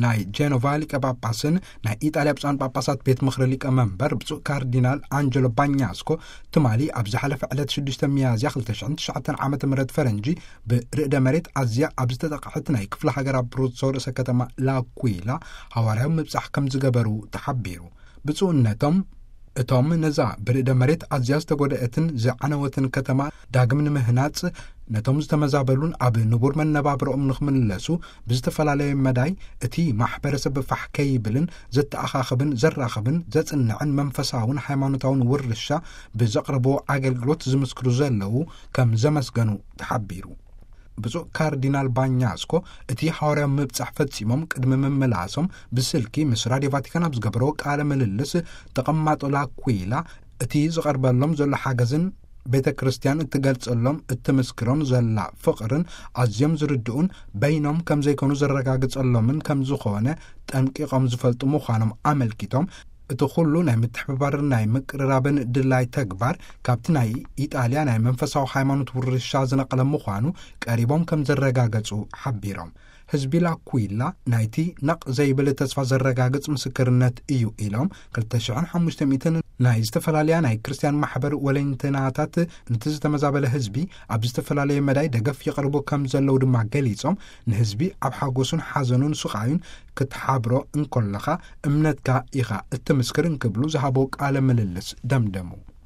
ናይ ጄኖቫ ሊቀ ጳጳስን ናይ ኢጣልያ ብፁዓን ጳጳሳት ቤት ምኽሪ ሊቀ መንበር ብፁዕ ካርዲናል ኣንጀሎ ባኛስኮ፣ ትማሊ ኣብ ዝሓለፈ ዕለት ሽዱሽተ ሚያዝያ ክልተ ሽሕን ትሽዓተን ዓመተ ምህረት ፈረንጂ፣ ብርዕደ መሬት ኣዝያ ኣብ ዝተጠቕዐት ናይ ክፍለ ሃገር ኣብሩዞ ርእሰ ከተማ ላኩይላ ሃዋርያዊ ምብጻሕ ከም ዝገበሩ ተሓቢሩ። ብፁዕነቶም፣ እቶም ነዛ ብርዕደ መሬት ኣዝያ ዝተጎድአትን ዝዓነወትን ከተማ ዳግም ንምህናጽ፣ ነቶም ዝተመዛበሉን ኣብ ንቡር መነባብሮኦም ንኽምለሱ ብዝተፈላለየ መዳይ እቲ ማሕበረሰብ ፋሕ ከይብልን ዘተኣኻኽብን ዘራኽብን ዘጽንዕን መንፈሳውን ሃይማኖታውን ውርሻ ብዘቕርቦ ኣገልግሎት ዝምስክሩ ዘለዉ ከም ዘመስገኑ ተሓቢሩ። ብፁዕ ካርዲናል ባኛስኮ እቲ ሃዋርያዊ ምብጻሕ ፈጺሞም ቅድሚ ምምላሶም ብስልኪ ምስ ራድዮ ቫቲካን ኣብ ዝገበሮ ቃለ ምልልስ፣ ተቐማጦ ላኩይላ እቲ ዝቐርበሎም ዘሎ ሓገዝን ቤተ ክርስቲያን እትገልጸሎም እትምስክሮን ዘላ ፍቕርን ኣዝዮም ዝርድኡን በይኖም ከም ዘይኮኑ ዘረጋግጸሎምን ከም ዝኾነ ጠንቂቖም ዝፈልጡ ምዃኖም ኣመልኪቶም፣ እቲ ኩሉ ናይ ምትሕብባርን ናይ ምቅርራብን ድላይ ተግባር ካብቲ ናይ ኢጣልያ ናይ መንፈሳዊ ሃይማኖት ውርሻ ዝነቐለ ምዃኑ ቀሪቦም ከም ዘረጋገጹ ሓቢሮም። ህዝቢ ላኩይላ ናይቲ ነቕ ዘይብል ተስፋ ዘረጋግጽ ምስክርነት እዩ ኢሎም፣ ክልተ ሽሕን ሓሙሽተ ሚእትን ናይ ዝተፈላለያ ናይ ክርስቲያን ማሕበር ወለንተናታት ነቲ ዝተመዛበለ ህዝቢ ኣብ ዝተፈላለየ መዳይ ደገፍ ይቐርቡ ከም ዘለዉ ድማ ገሊጾም፣ ንህዝቢ ኣብ ሓጎሱን ሓዘኑን ስቓዩን ክትሓብሮ እንከለኻ እምነትካ ኢኻ እትምስክር እንክብሉ ዝሃቦ ቃለ ምልልስ ደምደሙ።